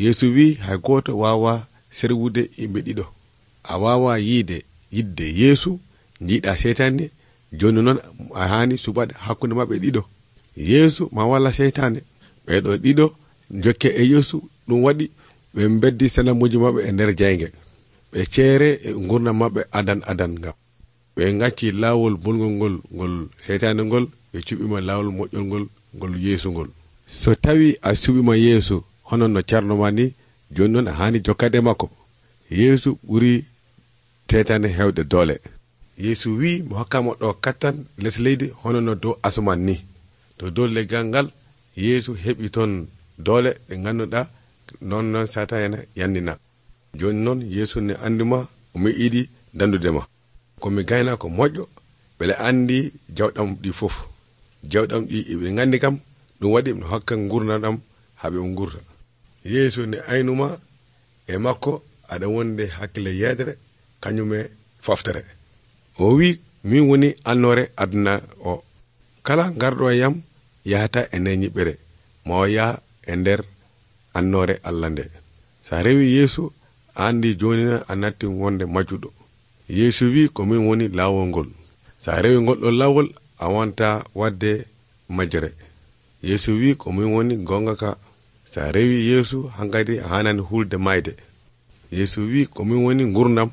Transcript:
Yeesu wi hay goto wawa serwude yimɓe ɗiɗo. A wawa yidde Yeesu jiiɗa seytane. Joni noon a hani suɓade hakkunde maɓɓe ɗiɗo. Yeesu ma walla seytane. Ɓeɗo ɗiɗo jokke e Yeesu, ɗum waɗi ɓe beddi sanamuji maɓɓe e nder jayge. Ɓe ceere e gurdam maɓɓe adan ngam ɓe gacci lawol bolgol ngol seytane ngol, ɓe cuɓima lawol moƴƴol ngol Yeesu ngol. So tawi a suɓima Yeesu hono no carno ma ni, joni noon a hani jokkade makko. Yeesu ɓuri seytane hewde doole. Yeesu wi mo hokkama ɗo kattan les leydi hono no dow asaman ni. To dow leggal ngal Yeesu heɓi toon doole ɗe ganduɗa non Satan yannina. Joni noon Yeesu ne anduma o meɗiɗi dandudema. Komi gayna ko moƴƴo beele andi jawɗam ɗi fof. Jawɗam ɗi ɓe gandi kam, ɗum waɗi mi hokka gurdam haɓe gurta. Yeesu ne aynuma e makko aɗa wonde hakkille yedere kañum e foftere. O wi min woni annore aduna o. Kala garɗo e yam yahata e nder ñiɓɓere, ma o yaha e nder annore Allah nde. Sa rewi Yeesu a andi joni a natti wonde majjuɗo. Yeesu wi ko min woni lawol ngol. Sa rewi ngol ɗo lawol a wonta wadde majjere. Yeesu wi ko min woni gonga ka. Sa rewi Yeesu hankadi a hanani hulde mayde. Yeesu wi ko min woni gurdam.